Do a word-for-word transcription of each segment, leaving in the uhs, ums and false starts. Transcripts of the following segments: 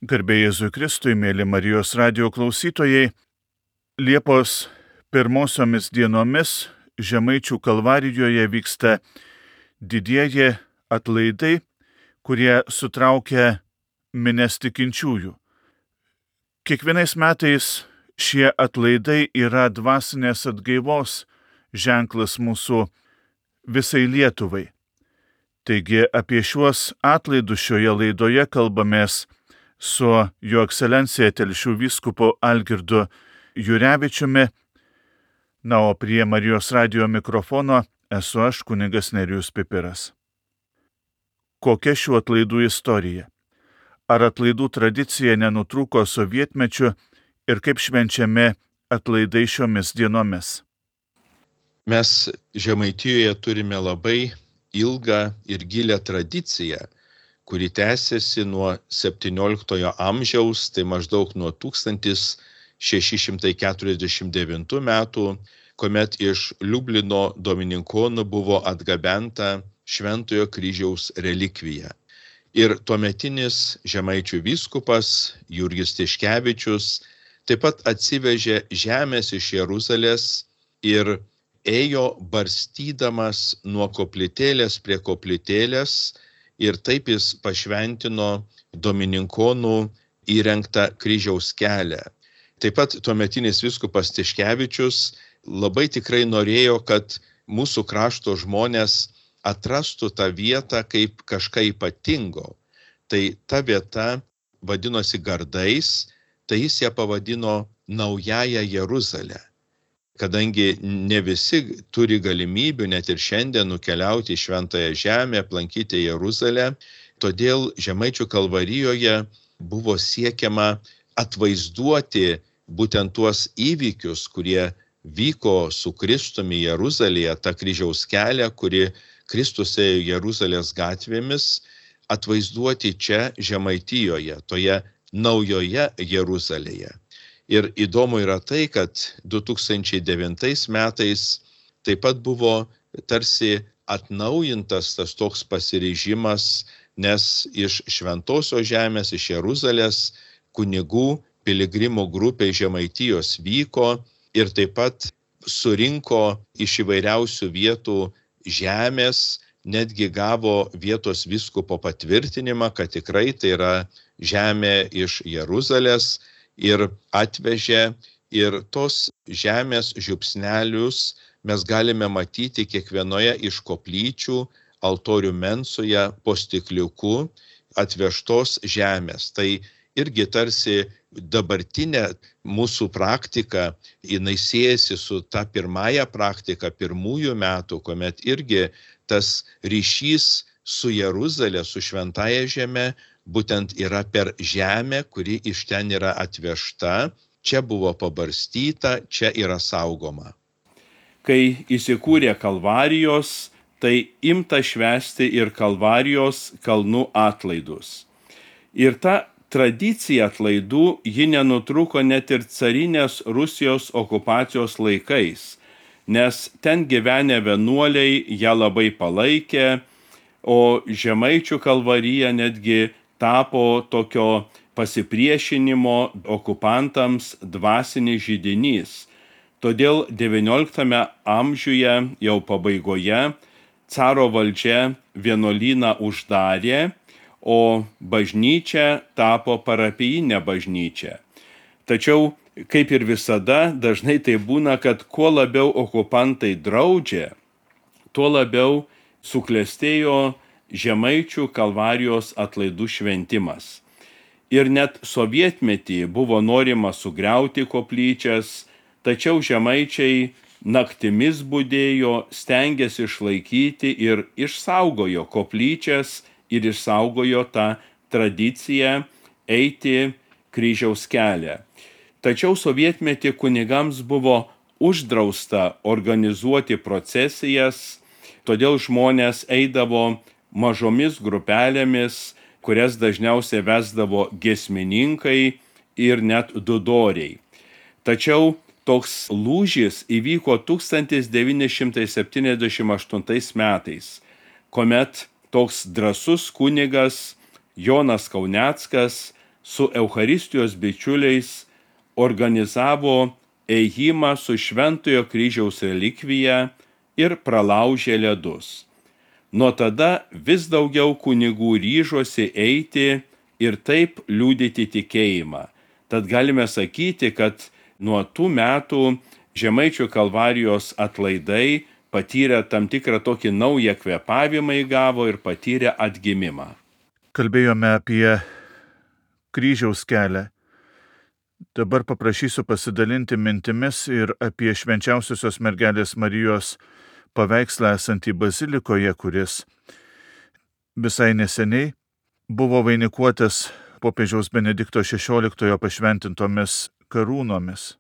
Garbė Jėzui Kristui, mėly Marijos radijo klausytojai, Liepos pirmosiomis dienomis Žemaičių Kalvarijoje vyksta didieji atlaidai, kurie sutraukia minias tikinčiųjų. Kiekvienais metais šie atlaidai yra dvasinės atgaivos ženklas mūsų visai Lietuvai. Taigi apie šiuos atlaidus šioje laidoje kalbamės su Jo ekscelencija Telšių vyskupu Algirdu Jurevičiumi. Na, o prie Marijos radijo mikrofono esu aš, kunigas Nerijus Pipiras. Kokia šių atlaidų istorija? Ar atlaidų tradicija nenutrūko sovietmečiu ir kaip švenčiami atlaidai šiomis dienomis? Mes Žemaitijoje turime labai ilgą ir gilią tradiciją, kuri tęsiasi nuo septynioliktojo amžiaus, tai maždaug nuo tūkstantis šeši šimtai keturiasdešimt devintų metų, kuomet iš Liublino domininkonų buvo atgabenta Šventojo kryžiaus relikvija. Ir tuometinis Žemaičių vyskupas Jurgis Tiškevičius taip pat atsivežė žemės iš Jeruzalės ir ėjo barstydamas nuo koplytėlės prie koplytėlės, ir taip jis pašventino domininkonų įrengtą kryžiaus kelią. Taip pat tuometinis vyskupas Tiškevičius labai tikrai norėjo, kad mūsų krašto žmonės atrastų tą vietą kaip kažką ypatingo. Tai ta vieta vadinosi Gardais, tai jis ją pavadino Naująją Jeruzalę. Kadangi ne visi turi galimybių net ir šiandien nukeliauti į Šventąją Žemę, aplankyti Jeruzalę, todėl Žemaičių Kalvarijoje buvo siekiama atvaizduoti būtent tuos įvykius, kurie vyko su Kristumi Jeruzalėje, tą kryžiaus kelią, kuri Kristus ėjo Jeruzalės gatvėmis, atvaizduoti čia Žemaitijoje, toje Naujoje Jeruzalėje. Ir įdomu yra tai, kad du tūkstančiai devintais metais taip pat buvo tarsi atnaujintas tas toks pasiryžimas, nes iš Šventosios Žemės, iš Jeruzalės kunigų piligrimų grupė Žemaitijos vyko ir taip pat surinko iš įvairiausių vietų žemės, netgi gavo vietos vyskupo patvirtinimą, kad tikrai tai yra žemė iš Jeruzalės, ir atvežė, ir tos žemės žiupsnelius mes galime matyti kiekvienoje iš koplyčių, altorių mensoje, po stikliuku atvežtos žemės. Tai irgi tarsi dabartinė mūsų praktika, jinai siejasi su ta pirmąja praktika pirmųjų metų, kuomet irgi tas ryšys su Jeruzalė, su Šventąja Žeme, būtent yra per žemę, kuri iš ten yra atvežta, čia buvo pabarstyta, čia yra saugoma. Kai įsikūrė Kalvarijos, tai imta švęsti ir Kalvarijos kalnų atlaidus. Ir ta tradicija atlaidų, ji nenutrūko net ir carinės Rusijos okupacijos laikais, nes ten gyvenę vienuoliai ją labai palaikė, o Žemaičių Kalvarija netgi tapo tokio pasipriešinimo okupantams dvasinis židinys. Todėl devynioliktame amžiuje jau pabaigoje caro valdžia vienuolyną uždarė, o bažnyčia tapo parapijinė bažnyčia. Tačiau, kaip ir visada, dažnai tai būna, kad kuo labiau okupantai draudžia, tuo labiau suklestėjo Žemaičių Kalvarijos atlaidų šventimas. Ir net sovietmetį buvo norima sugriauti koplyčias, tačiau žemaičiai naktimis budėjo, stengėsi išlaikyti ir išsaugojo koplyčias ir išsaugojo tą tradiciją eiti kryžiaus kelią. Tačiau sovietmetį kunigams buvo uždrausta organizuoti procesijas, todėl žmonės eidavo mažomis grupelėmis, kurias dažniausiai vesdavo giesmininkai ir net dudoriai. Tačiau toks lūžis įvyko tūkstantis devyni šimtai septyniasdešimt aštuntais metais, kuomet toks drąsus kunigas Jonas Kauneckas su Eucharistijos bičiuliais organizavo ėjimą su Šventojo kryžiaus relikvija ir pralaužė ledus. Nuo tada vis daugiau kunigų ryžosi eiti ir taip liudyti tikėjimą. Tad galime sakyti, kad nuo tų metų Žemaičių Kalvarijos atlaidai patyrė tam tikrą tokį naują kvėpavimą įgavo ir patyrė atgimimą. Kalbėjome apie kryžiaus kelią. Dabar paprašysiu pasidalinti mintimis ir apie švenčiausiosios mergelės Marijos paveikslą esantį bazilikoje, kuris visai neseniai buvo vainikuotas popiežiaus Benedikto šešioliktojo pašventintomis karūnomis.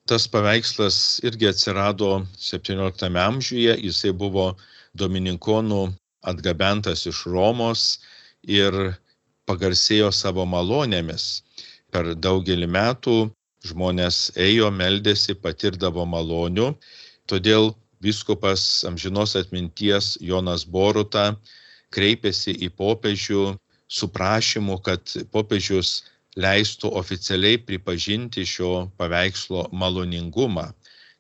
Tas paveikslas irgi atsirado septynioliktame amžiuje, jisai buvo dominikonų atgabentas iš Romos ir pagarsėjo savo malonėmis. Per daugelį metų žmonės ėjo, meldėsi, patirdavo malonių, todėl vyskupas amžinos atminties Jonas Boruta kreipėsi į popiežių su prašymu, kad popiežius leistų oficialiai pripažinti šio paveikslo maloningumą,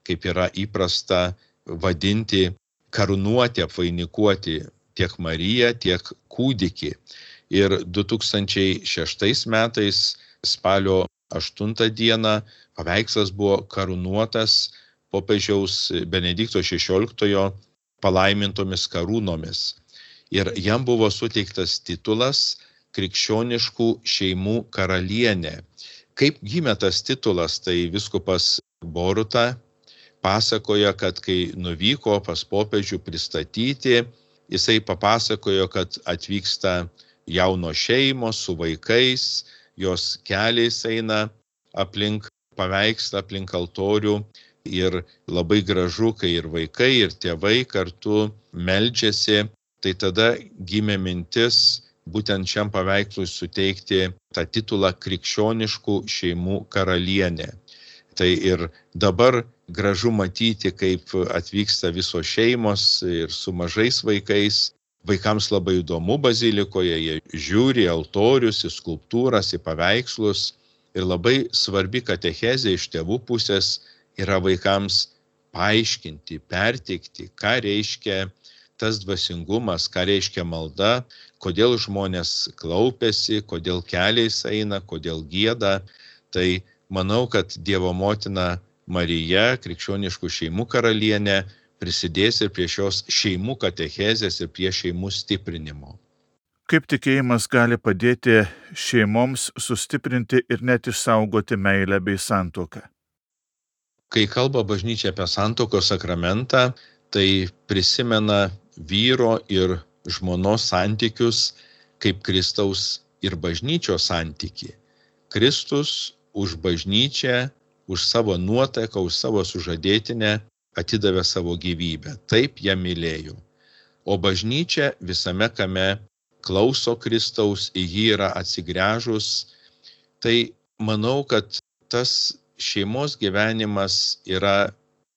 kaip yra įprasta vadinti karūnuoti, apvainikuoti tiek Mariją, tiek kūdikį. Ir du tūkstančiai šeštais metais spalio aštuntą dieną paveikslas buvo karūnuotas popiežiaus Benedikto šešioliktojo palaimintomis karūnomis. Ir jam buvo suteiktas titulas Krikščioniškų šeimų karalienė. Kaip gimė tas titulas, tai vyskupas Boruta pasakoja, kad kai nuvyko pas popiežių pristatyti, jisai papasakojo, kad atvyksta jaunos šeimos su vaikais, jos keliais eina aplink paveikslą, aplink altorių ir labai gražu, kai ir vaikai, ir tėvai kartu meldžiasi. Tai tada gimė mintis būtent šiam paveikslui suteikti tą titulą Krikščioniškų šeimų karalienė. Tai ir dabar gražu matyti, kaip atvyksta visos šeimos ir su mažais vaikais. Vaikams labai įdomu bazilikoje, jie žiūri į altorius, į skulptūras, į paveikslus. Ir labai svarbi katechezė iš tėvų pusės yra vaikams paaiškinti, perteikti, ką reiškia tas dvasingumas, ką reiškia malda, kodėl žmonės klaupiasi, kodėl keliais eina, kodėl gieda. Tai manau, kad Dievo motina Marija, Krikščioniškų šeimų karalienė, prisidės ir prie šios šeimų katechezės ir prie šeimų stiprinimo. Kaip tikėjimas gali padėti šeimoms sustiprinti ir net išsaugoti meilę bei santuoką? Kai kalba bažnyčia apie santuokos sakramentą, tai prisimena vyro ir žmonos santykius kaip Kristaus ir bažnyčios santyki. Kristus už bažnyčią, už savo nuotaiką, už savo sužadėtinę atidavė savo gyvybę. Taip ją mylėjo. O bažnyčia visame kame klauso Kristaus, į jį yra atsigręžus. Tai manau, kad tas šeimos gyvenimas yra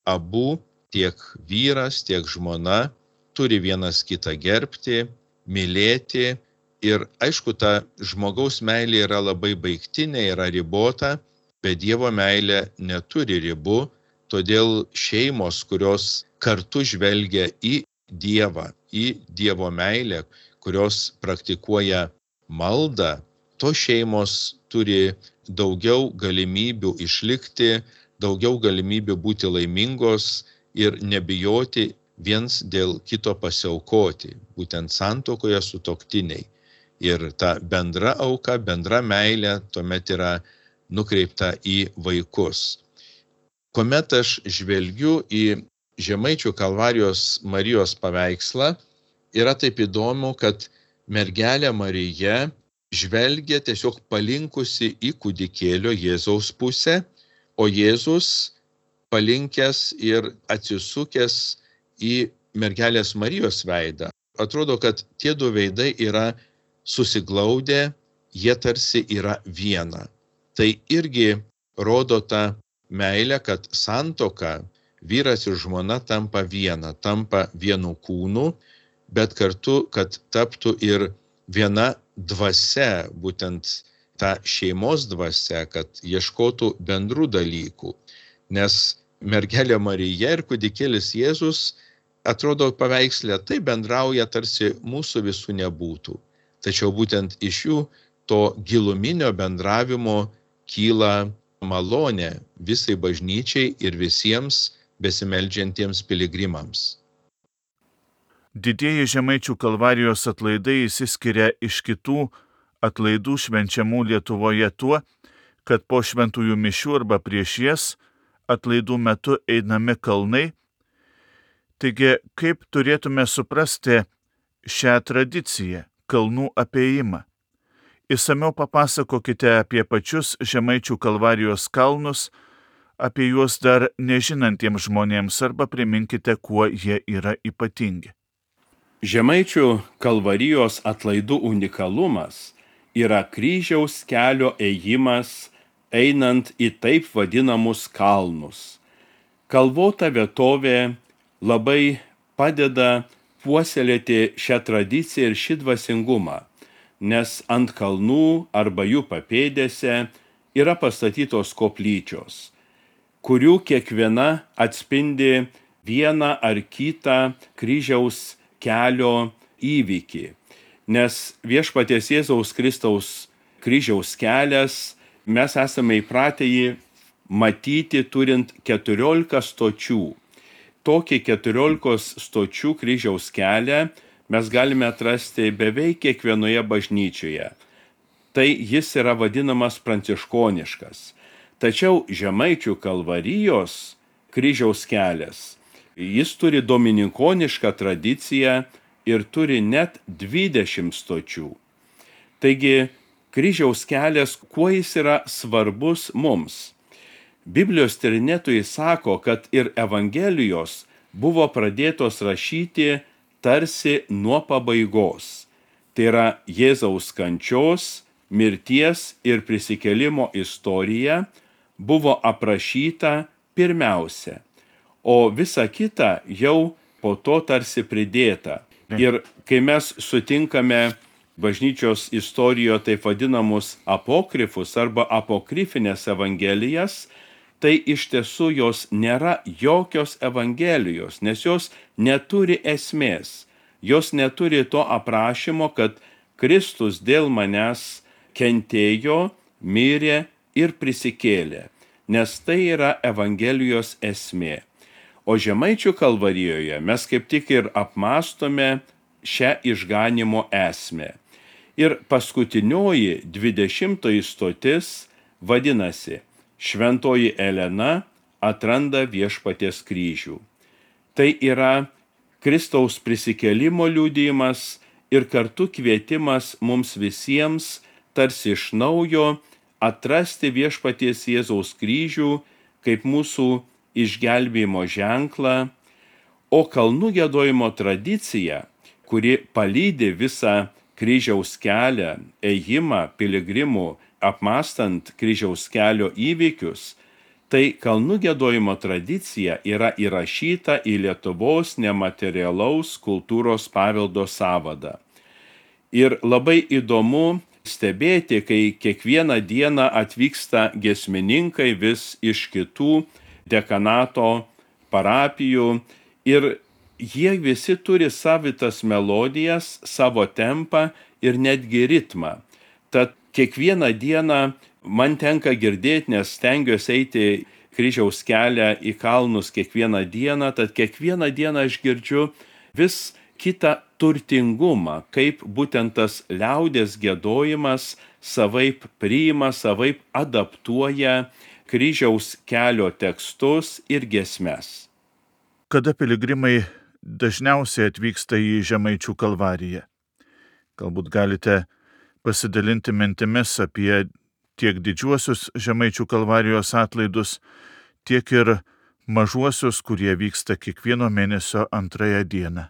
abu, tiek vyras, tiek žmona, turi vienas kitą gerbti, mylėti. Ir aišku, ta žmogaus meilė yra labai baigtinė, yra ribota, bet Dievo meilė neturi ribų, todėl šeimos, kurios kartu žvelgia į Dievą, į Dievo meilę, kurios praktikuoja maldą, tos šeimos turi daugiau galimybių išlikti, daugiau galimybių būti laimingos ir nebijoti viens dėl kito pasiaukoti, būtent santuokoje sutuoktiniai. Ir ta bendra auka, bendra meilė tuomet yra nukreipta į vaikus. Kuomet aš žvelgiu į Žemaičių Kalvarijos Marijos paveikslą, yra taip įdomu, kad mergelė Marija žvelgia tiesiog palinkusi į kūdikėlio Jėzaus pusę, o Jėzus palinkęs ir atsisukęs į mergelės Marijos veidą. Atrodo, kad tie du veidai yra susiglaudę, jie tarsi yra viena. Tai irgi rodo tą meilę, kad santuoka, vyras ir žmona tampa viena, tampa vienu kūnu, bet kartu, kad taptų ir viena dvasia, būtent ta šeimos dvasia, kad ieškotų bendrų dalykų. Nes mergelė Marija ir kūdikėlis Jėzus atrodo paveikslė taip bendrauja, tarsi mūsų visų nebūtų. Tačiau būtent iš jų to giluminio bendravimo kyla malonė visai bažnyčiai ir visiems besimeldžiantiems piligrimams. Didieji Žemaičių Kalvarijos atlaidai išsiskiria iš kitų atlaidų švenčiamų Lietuvoje tuo, kad po šventųjų mišių arba prieš jas atlaidų metu einami kalnai. Taigi, kaip turėtume suprasti šią tradiciją, kalnų apėjimą? Išsamiau papasakokite apie pačius Žemaičių Kalvarijos kalnus, apie juos dar nežinantiems žmonėms arba priminkite, kuo jie yra ypatingi. Žemaičių Kalvarijos atlaidų unikalumas yra kryžiaus kelio ėjimas einant į taip vadinamus kalnus. Kalvota vietovė labai padeda puoselėti šią tradiciją ir šį dvasingumą, nes ant kalnų arba jų papėdėse yra pastatytos koplyčios, kurių kiekviena atspindi vieną ar kitą kryžiaus kelio įvykį. Nes viešpaties Jėzaus Kristaus kryžiaus kelias, mes esame įpratę jį matyti turint keturiolika stočių. Tokį keturiolikos stočių kryžiaus kelią mes galime atrasti beveik kiekvienoje bažnyčioje. Tai jis yra vadinamas pranciškoniškas. Tačiau Žemaičių Kalvarijos kryžiaus kelias, jis turi dominikonišką tradiciją ir turi net dvidešimt stočių. Taigi, kryžiaus kelias, kuo jis yra svarbus mums? Biblijos tyrinėtojai sako, kad ir Evangelijos buvo pradėtos rašyti tarsi nuo pabaigos. Tai yra Jėzaus kančios, mirties ir prisikėlimo istorija buvo aprašyta pirmiausia, o visa kita jau po to tarsi pridėta. Ir kai mes sutinkame bažnyčios istorijoje taip vadinamus apokrifus arba apokrifinės evangelijas, tai iš tiesų jos nėra jokios evangelijos, nes jos neturi esmės. Jos neturi to aprašymo, kad Kristus dėl manęs kentėjo, mirė ir prisikėlė, nes tai yra Evangelijos esmė. O Žemaičių Kalvarijoje mes kaip tik ir apmąstome šią išganimo esmę. Ir paskutinioji dvidešimtoji stotis vadinasi Šventoji Elena atranda viešpaties kryžių. Tai yra Kristaus prisikėlimo liudijimas ir kartu kvietimas mums visiems tarsi iš naujo atrasti viešpaties Jėzaus kryžių kaip mūsų išgelbėjimo ženklą, o kalnų giedojimo tradicija, kuri palydi visą kryžiaus kelią, ėjimą piligrimų, apmąstant kryžiaus kelio įvykius, tai kalnų giedojimo tradicija yra įrašyta į Lietuvos nematerialaus kultūros paveldo sąvadą. Ir labai įdomu stebėti, kai kiekvieną dieną atvyksta giesmininkai vis iš kitų dekanato parapijų ir jie visi turi savitas melodijas, savo tempą ir netgi ritmą. Tad kiekvieną dieną man tenka girdėti, nes stengiuosi eiti kryžiaus kelią į kalnus kiekvieną dieną, tad kiekvieną dieną aš girdžiu vis kitą turtingumą, kaip būtent tas liaudies giedojimas savaip priima, savaip adaptuoja kryžiaus kelio tekstus ir giesmes. Kada piligrimai dažniausiai atvyksta į Žemaičių Kalvariją? Galbūt galite pasidalinti mintimis apie tiek didžiuosius Žemaičių Kalvarijos atlaidus, tiek ir mažuosius, kurie vyksta kiekvieno mėnesio antrąją dieną.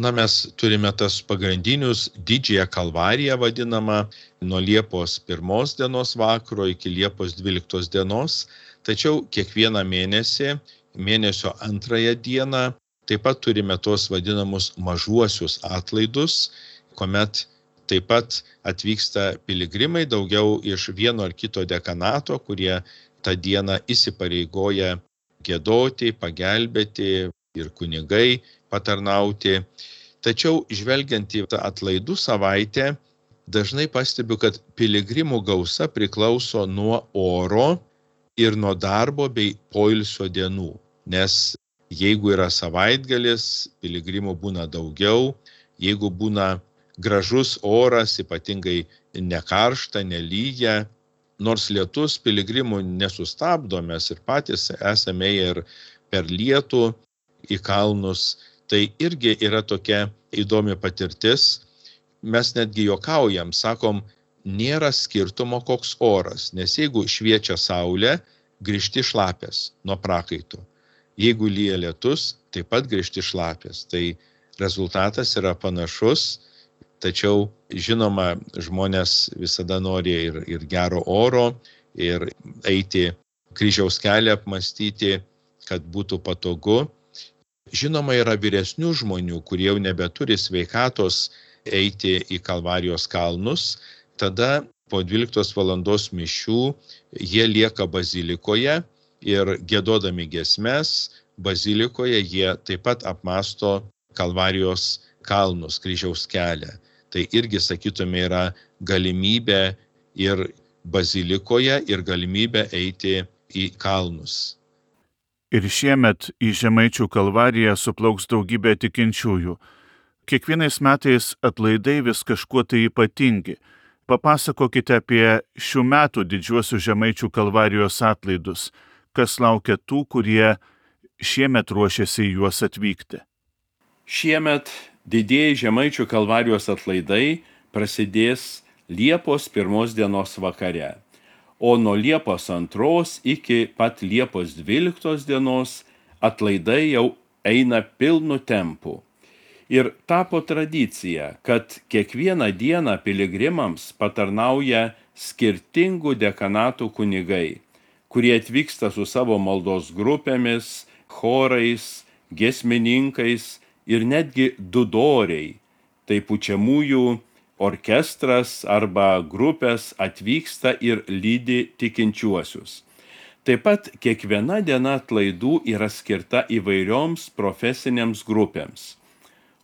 Na, mes turime tas pagrindinius didžiąją Kalvariją vadinamą nuo Liepos pirmos dienos vakaro iki Liepos dvyliktos dienos, tačiau kiekvieną mėnesį, mėnesio antrąją dieną, taip pat turime tos vadinamus mažuosius atlaidus, kuomet taip pat atvyksta piligrimai daugiau iš vieno ar kito dekanato, kurie tą dieną įsipareigoja giedoti, pagelbėti ir kunigai patarnauti. Tačiau žvelgiant į tą atlaidų savaitę, dažnai pastebiu, kad piligrimų gausa priklauso nuo oro ir nuo darbo bei poilsio dienų. Nes jeigu yra savaitgalis, piligrimų būna daugiau, jeigu būna gražus oras, ypatingai nekaršta, nelyja, nors lietus piligrimų nesustabdo, mes ir patys esame ir per lietų į kalnus, tai irgi yra tokia įdomi patirtis. Mes netgi juokaujam, sakom, nėra skirtumo koks oras, nes jeigu šviečia saulė, grįžti šlapės nuo prakaito. Jeigu lyja lietus, taip pat grįžti šlapės. Tai rezultatas yra panašus, tačiau žinoma, žmonės visada nori ir, ir gero oro, ir eiti kryžiaus kelią apmastyti, kad būtų patogu. Žinoma, yra vyresnių žmonių, kurie jau nebeturi sveikatos eiti į Kalvarijos kalnus. Tada po dvyliktos valandos mišių jie lieka bazilikoje ir giedodami giesmes bazilikoje jie taip pat apmąsto Kalvarijos kalnus, kryžiaus kelią. Tai irgi, sakytume, yra galimybė ir bazilikoje, ir galimybė eiti į kalnus. Ir šiemet į Žemaičių Kalvariją suplauks daugybė tikinčiųjų. Kiekvienais metais atlaidai vis kažkuo tai ypatingi. Papasakokite apie šių metų didžiuosius Žemaičių Kalvarijos atlaidus. Kas laukia tų, kurie šiemet ruošiasi į juos atvykti? Šiemet didieji Žemaičių Kalvarijos atlaidai prasidės Liepos pirmos dienos vakare, o nuo Liepos antros iki pat Liepos dvyliktos dienos atlaidai jau eina pilnu tempu. Ir tapo tradicija, kad kiekvieną dieną piligrimams patarnauja skirtingų dekanatų kunigai, kurie atvyksta su savo maldos grupėmis, chorais, giesmininkais ir netgi dudoriai, tai pučiamųjų orkestras arba grupės atvyksta ir lydi tikinčiuosius. Taip pat kiekviena diena atlaidų yra skirta įvairioms profesinėms grupėms –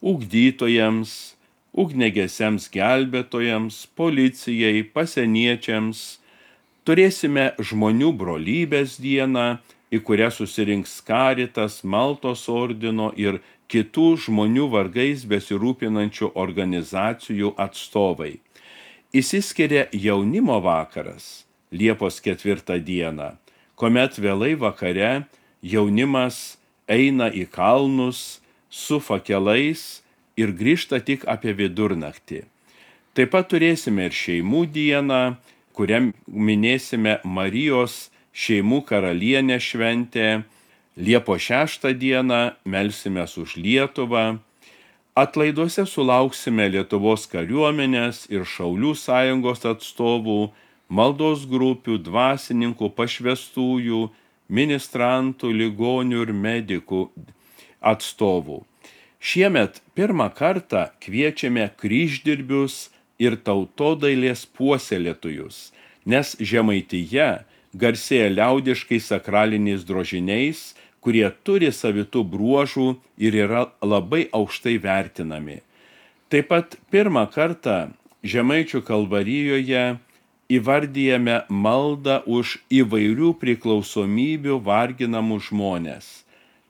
ugdytojams, ugniagesiams gelbėtojams, policijai, pasieniečiams. Turėsime žmonių brolybės dieną, į kurią susirinks Karitas, Maltos ordino ir kitų žmonių vargais besirūpinančių organizacijų atstovai. Išsiskiria jaunimo vakaras Liepos ketvirtą dieną, kuomet vėlai vakare jaunimas eina į kalnus su fakelais ir grįžta tik apie vidurnaktį. Taip pat turėsime ir šeimų dieną, kuriam minėsime Marijos šeimų karalienę šventę. Liepos šeštą dieną melsimės už Lietuvą. Atlaiduose sulauksime Lietuvos kariuomenės ir Šaulių sąjungos atstovų, maldos grupių, dvasininkų, pašvęstųjų, ministrantų, ligonių ir medikų atstovų. Šiemet pirmą kartą kviečiame kryždirbius ir tautodailės puoselėtojus, nes Žemaitija garsėja liaudiškai sakraliniais drožiniais, kurie turi savitų bruožų ir yra labai aukštai vertinami. Taip pat pirmą kartą Žemaičių Kalvarijoje įvardyjame maldą už įvairių priklausomybių varginamų žmonės,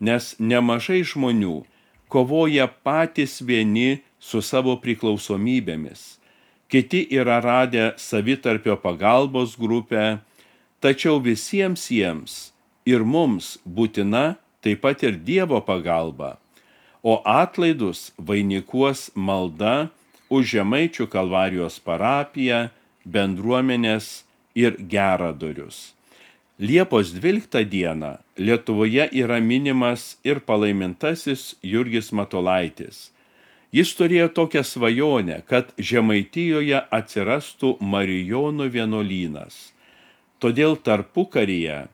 nes nemažai žmonių kovoja patys vieni su savo priklausomybėmis. Kiti yra radę savitarpio pagalbos grupę, tačiau visiems jiems ir mums būtina taip pat ir Dievo pagalba, o atlaidus vainikuos malda už Žemaičių Kalvarijos parapiją, bendruomenės ir geradorius. Liepos dvyliktą dieną Lietuvoje yra minimas ir palaimintasis Jurgis Matulaitis. Jis turėjo tokią svajonę, kad Žemaitijoje atsirastų Marijonų vienuolynas. Todėl tarpukaryje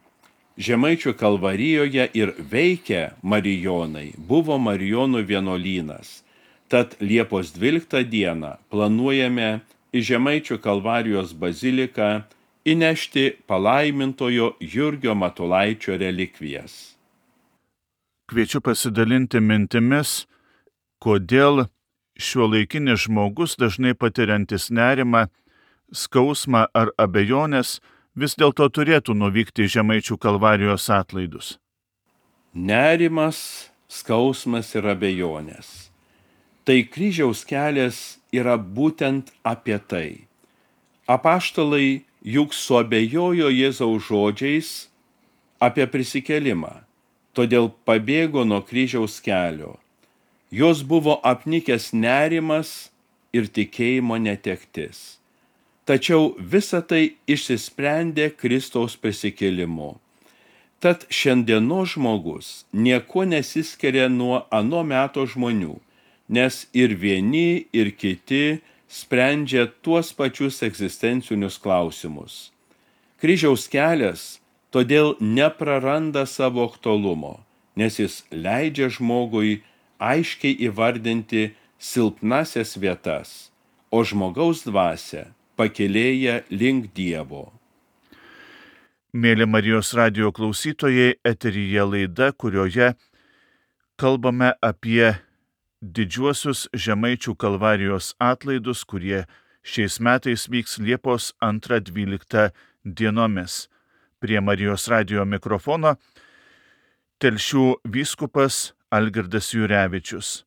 Žemaičių Kalvarijoje ir veikia Marijonai, buvo Marijonų vienuolynas. Tad Liepos dvyliktą dieną planuojame į Žemaičių Kalvarijos baziliką įnešti palaimintojo Jurgio Matulaičio relikvijas. Kviečiu pasidalinti mintimis, kodėl šiuolaikinis žmogus, dažnai patiriantis nerimą, skausmą ar abejonės, vis dėlto turėtų nuvykti į Žemaičių Kalvarijos atlaidus. Nerimas, skausmas ir abejonės. Tai kryžiaus kelias yra būtent apie tai. Apaštalai juk suabejojo Jėzaus žodžiais apie prisikėlimą, todėl pabėgo nuo kryžiaus kelio. Jos buvo apnikęs nerimas ir tikėjimo netektis. Tačiau visa tai išsisprendė Kristaus prisikėlimu. Tad šiandienos žmogus niekuo nesiskiria nuo ano meto žmonių, nes ir vieni, ir kiti sprendžia tuos pačius egzistencinius klausimus. Kryžiaus kelias todėl nepraranda savo aktualumo, nes jis leidžia žmogui aiškiai įvardinti silpnasias vietas, o žmogaus dvasią pakėlėja link Dievo. Mėly Marijos radijo klausytojai, eteryje laida, kurioje kalbame apie didžiuosius Žemaičių Kalvarijos atlaidus, kurie šiais metais vyks Liepos antrą dvyliktą dienomis. Prie Marijos radijo mikrofono Telšių vyskupas Algirdas Jurevičius.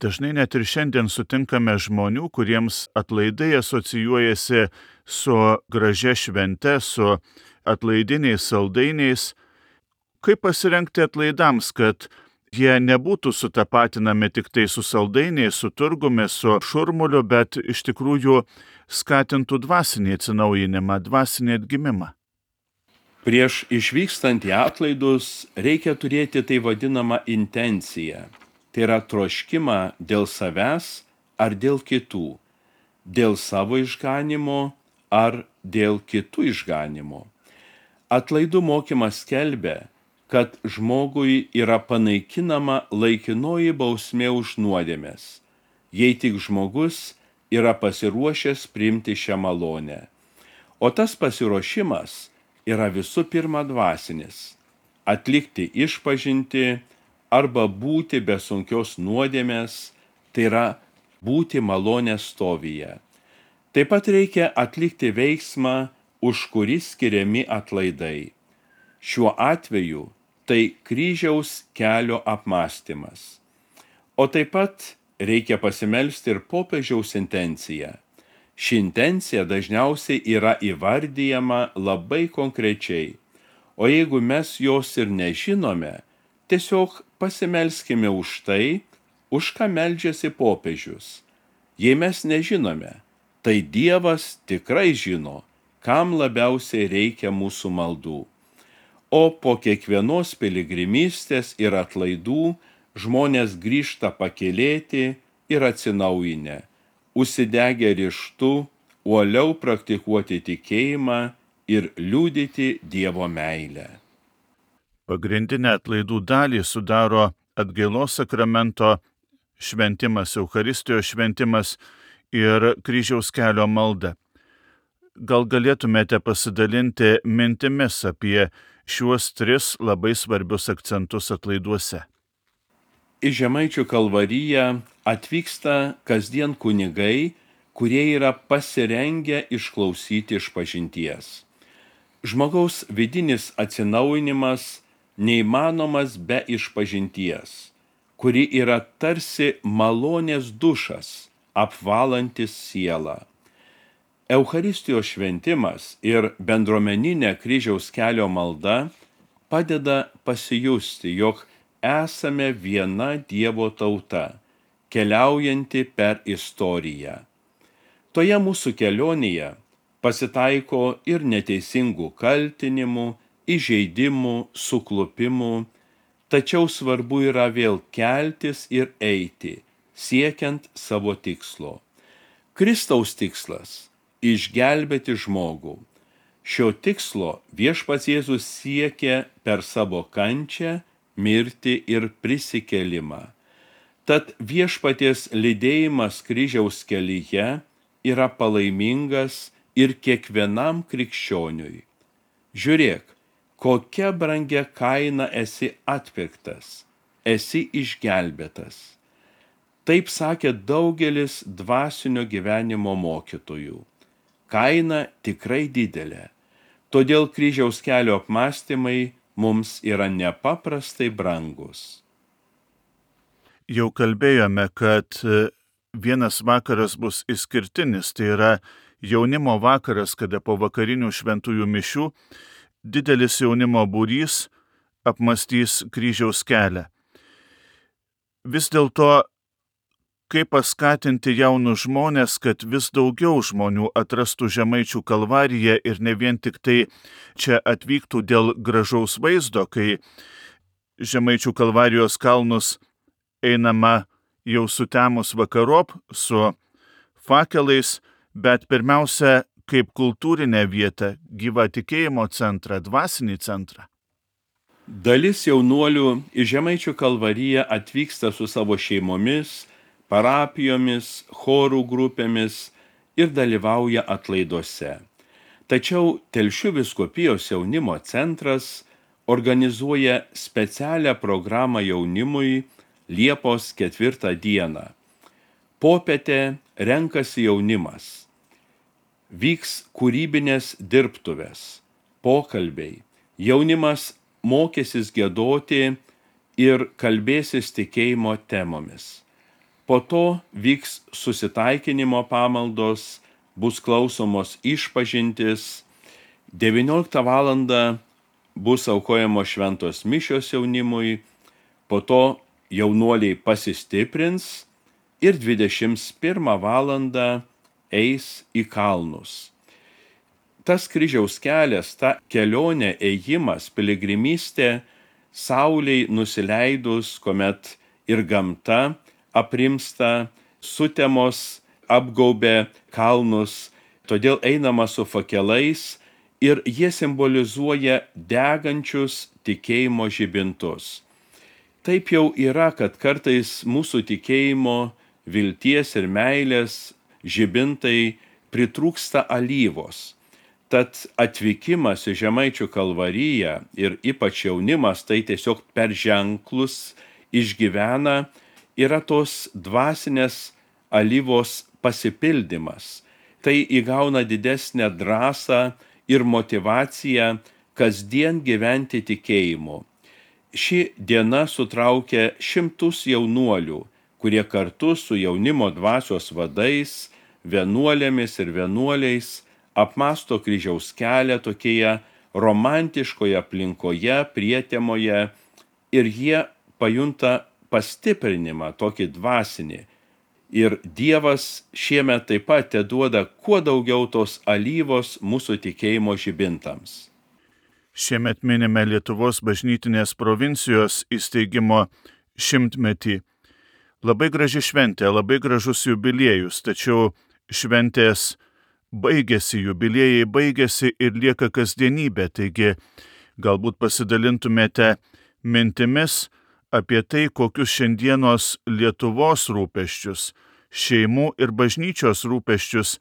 Dažnai net ir šiandien sutinkame žmonių, kuriems atlaidai asocijuojasi su gražia švente, su atlaidiniais saldainiais. Kaip pasirengti atlaidams, kad jie nebūtų sutapatinami tik tai su saldainiais, su turgumi, su šurmuliu, bet iš tikrųjų skatintų dvasinį atsinaujinimą, dvasinį atgimimą? Prieš išvykstant į atlaidus reikia turėti tai vadinamą intenciją. Tai yra troškimą dėl savęs ar dėl kitų, dėl savo išganimo ar dėl kitų išganimo. Atlaidų mokymas skelbia, kad žmogui yra panaikinama laikinoji bausmė už nuodėmes, jei tik žmogus yra pasiruošęs priimti šią malonę. O tas pasiruošimas yra visų pirma dvasinis – atlikti išpažintį arba būti be sunkios nuodėmės, tai yra būti malonės stovyje. Taip pat reikia atlikti veiksmą, už kurį skiriami atlaidai. Šiuo atveju tai kryžiaus kelio apmąstymas. O taip pat reikia pasimelsti ir popiežiaus intenciją. Ši intencija dažniausiai yra įvardijama labai konkrečiai, o jeigu mes jos ir nežinome, tiesiog pasimelskime už tai, už ką meldžiasi popiežius. Jei mes nežinome, tai Dievas tikrai žino, kam labiausiai reikia mūsų maldų. O po kiekvienos piligrimystės ir atlaidų žmonės grįžta pakylėti ir atsinaujinę, užsidegę ryžtu, uoliau praktikuoti tikėjimą ir liudyti Dievo meilę. Pagrindinę atlaidų dalį sudaro atgailos sakramento šventimas, Eucharistijos šventimas ir kryžiaus kelio malda. Gal galėtumėte pasidalinti mintimis apie šiuos tris labai svarbius akcentus atlaiduose? Į Žemaičių Kalvariją atvyksta kasdien kunigai, kurie yra pasirengę išklausyti išpažinties. Žmogaus vidinis atsinaujinimas neįmanomas be išpažinties, kuri yra tarsi malonės dušas, apvalantis sielą. Eucharistijos šventimas ir bendruomeninė kryžiaus kelio malda padeda pasijusti, jog esame viena Dievo tauta, keliaujanti per istoriją. Toje mūsų kelionėje pasitaiko ir neteisingų kaltinimų, įžeidimų, suklupimų, tačiau svarbu yra vėl keltis ir eiti, siekiant savo tikslo. Kristaus tikslas – išgelbėti žmogų. Šio tikslo Viešpats Jėzus siekė per savo kančią, mirtį ir prisikėlimą. Tad viešpaties lydėjimas kryžiaus kelyje yra palaimingas ir kiekvienam krikščioniui. Žiūrėk, kokia brangia kaina esi atpirktas, esi išgelbėtas. Taip sakė daugelis dvasinio gyvenimo mokytojų. Kaina tikrai didelė, todėl kryžiaus kelio apmąstymai mums yra nepaprastai brangus. Jau kalbėjome, kad vienas vakaras bus išskirtinis, tai yra jaunimo vakaras, kada po vakarinių šventųjų mišių didelis jaunimo būrys apmąstys kryžiaus kelią. Vis dėlto, kaip paskatinti jaunus žmonės, kad vis daugiau žmonių atrastų Žemaičių kalvariją ir ne vien tik tai čia atvyktų dėl gražaus vaizdo, kai Žemaičių kalvarijos kalnus einama jau sutemus vakarop su fakelais, bet pirmiausia kaip kultūrinę vietą, gyvą tikėjimo centrą, dvasinį centrą. Dalis jaunuolių į Žemaičių kalvariją atvyksta su savo šeimomis, parapijomis, chorų grupėmis ir dalyvauja atlaiduose. Tačiau Telšių vyskupijos jaunimo centras organizuoja specialią programą jaunimui Liepos ketvirtą dieną. Popietę renkasi jaunimas. Vyks kūrybinės dirbtuvės, pokalbiai. Jaunimas mokysis giedoti ir kalbėsis tikėjimo temomis. Po to vyks susitaikinimo pamaldos, bus klausomos išpažintis. devynioliktą valandą bus aukojamos šventos mišios jaunimui, po to jaunuoliai pasistiprins ir dvidešimt pirmą valandą eis į kalnus. Tas kryžiaus kelias, ta kelionė, ėjimas, piligrimystė, saulei nusileidus, kuomet ir gamta aprimsta, sutemos apgaubė kalnus, todėl einama su fakelais ir jie simbolizuoja degančius tikėjimo žibintus. Taip jau yra, kad kartais mūsų tikėjimo, vilties ir meilės žibintai pritrūksta alyvos. Tad atvykimas į Žemaičių kalvariją ir ypač jaunimas tai tiesiog per ženklus išgyvena, yra tos dvasinės alyvos pasipildymas. Tai įgauna didesnę drąsą ir motyvaciją kasdien gyventi tikėjimu. Ši diena sutraukia šimtus jaunuolių, kurie kartu su jaunimo dvasios vadais, vienuolėmis ir vienuoliais apmąsto kryžiaus kelią tokioje romantiškoje aplinkoje, prietemoje ir jie pajunta pastiprinimą, tokį dvasinį. Ir Dievas šiemet taip pat teduoda kuo daugiau tos alyvos mūsų tikėjimo žibintams. Šiemet minime Lietuvos bažnytinės provincijos įsteigimo šimtmetį. Labai graži šventė, labai gražus jubiliejus, tačiau šventės baigėsi, jubiliejai baigėsi ir lieka kasdienybė, taigi galbūt pasidalintumėte mintimis apie tai, kokius šiandienos Lietuvos rūpesčius, šeimų ir bažnyčios rūpesčius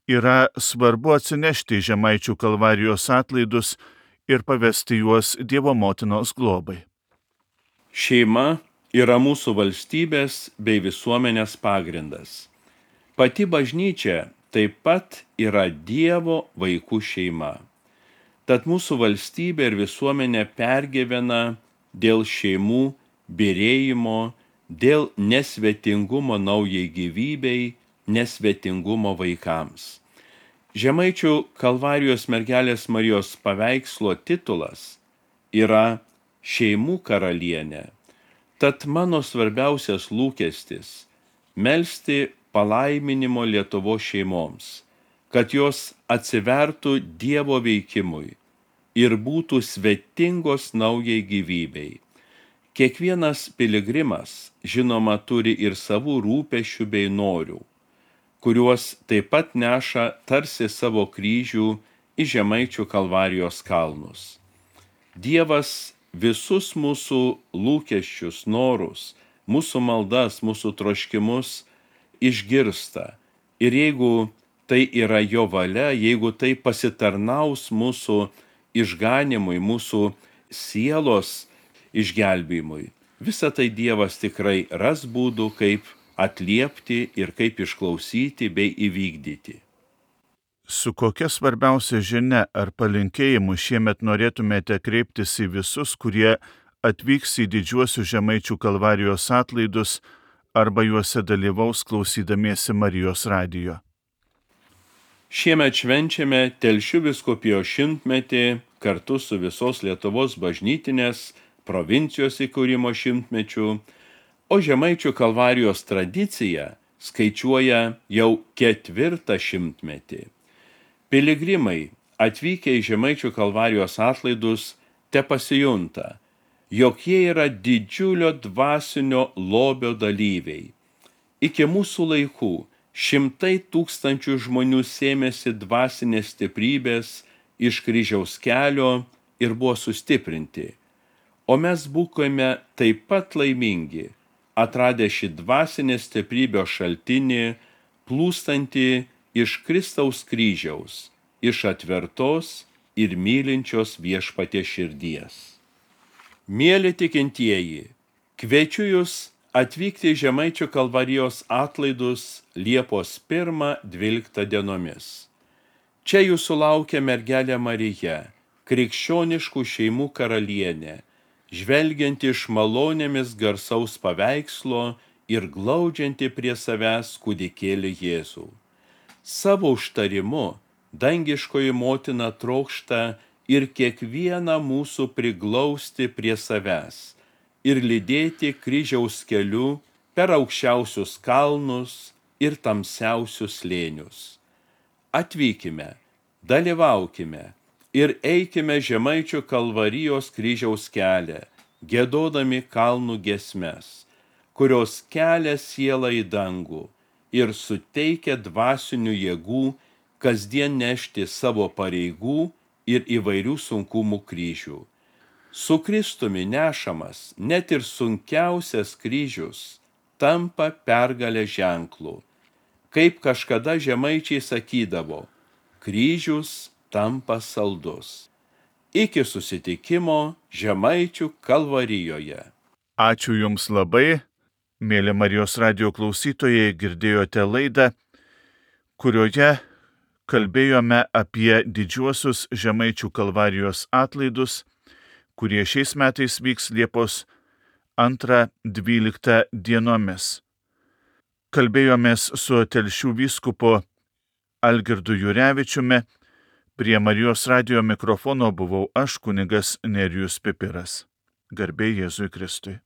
yra svarbu atsinešti į Žemaičių kalvarijos atlaidus ir pavesti juos Dievo motinos globai. Šeima yra mūsų valstybės bei visuomenės pagrindas. Pati bažnyčia taip pat yra Dievo vaikų šeima. Tad mūsų valstybė ir visuomenė pergyvena dėl šeimų byrėjimo, dėl nesvetingumo naujai gyvybei, nesvetingumo vaikams. Žemaičių kalvarijos mergelės Marijos paveikslo titulas yra Šeimų karalienė. Tad mano svarbiausias lūkestis – melsti palaiminimo Lietuvos šeimoms, kad jos atsivertų Dievo veikimui ir būtų svetingos naujai gyvybei. Kiekvienas piligrimas, žinoma, turi ir savų rūpesčių bei norių, kuriuos taip pat neša tarsi savo kryžių į Žemaičių kalvarijos kalnus. Dievas visus mūsų lūkesčius, norus mūsų maldas, mūsų troškimus išgirsta. Ir jeigu tai yra jo valia, jeigu tai pasitarnaus mūsų išganimui, mūsų sielos išgelbėjimui, visą tai Dievas tikrai ras būdų, kaip atliepti ir kaip išklausyti bei įvykdyti. Su kokia svarbiausia žinia ar palinkėjimu šiemet norėtumėte kreiptis į visus, kurie atvyks į didžiuosius Žemaičių Kalvarijos atlaidus arba juose dalyvaus klausydamiesi Marijos radijo? Šiemet švenčiame Telšių vyskupijos šimtmetį kartu su visos Lietuvos bažnytinės provincijos įkūrimo šimtmečiu, o Žemaičių Kalvarijos tradicija skaičiuoja jau ketvirtą šimtmetį. Piligrimai atvykę į Žemaičių Kalvarijos atlaidus te pasijunta, jog jie yra didžiulio dvasinio lobio dalyviai. Iki mūsų laikų šimtai tūkstančių žmonių sėmėsi dvasinės stiprybės iš kryžiaus kelio ir buvo sustiprinti. O mes būkime taip pat laimingi, atradę šį dvasinės stiprybės šaltinį, plūstantį iš Kristaus kryžiaus, iš atvertos ir mylinčios Viešpaties širdies. Mieli tikintieji, kviečiu jūs atvykti į Žemaičių Kalvarijos atlaidus Liepos pirmą dvyliktą dienomis. Čia jūsų laukia mergelė Marija, krikščioniškų šeimų karalienė, žvelgianti iš malonėmis garsaus paveikslo ir glaudžianti prie savęs kūdikėlį Jėzų. Savo užtarimu dangiškoji motina trokšta ir kiekvieną mūsų priglausti prie savęs ir lydėti kryžiaus keliu per aukščiausius kalnus ir tamsiausius slėnius. Atvykime, dalyvaukime ir eikime Žemaičių Kalvarijos kryžiaus kelią, giedodami kalnų giesmes, kurios kelia sielą į dangų ir suteikia dvasinių jėgų kasdien nešti savo pareigų ir įvairių sunkumų kryžių. Su Kristumi nešamas net ir sunkiausias kryžius tampa pergalę ženklų. Kaip kažkada žemaičiai sakydavo, kryžius tampa saldus. Iki susitikimo Žemaičių Kalvarijoje. Ačiū Jums labai, mėly Marijos radijo klausytojai, girdėjote laidą, kurioje kalbėjome apie didžiuosius Žemaičių Kalvarijos atlaidus, kurie šiais metais vyks Liepos antrą dvyliktą dienomis. Kalbėjomės su Telšių vyskupu Algirdu Jurevičiumi, prie Marijos radijo mikrofono buvau aš, kunigas Nerijus Pipiras. Garbė Jėzui Kristui.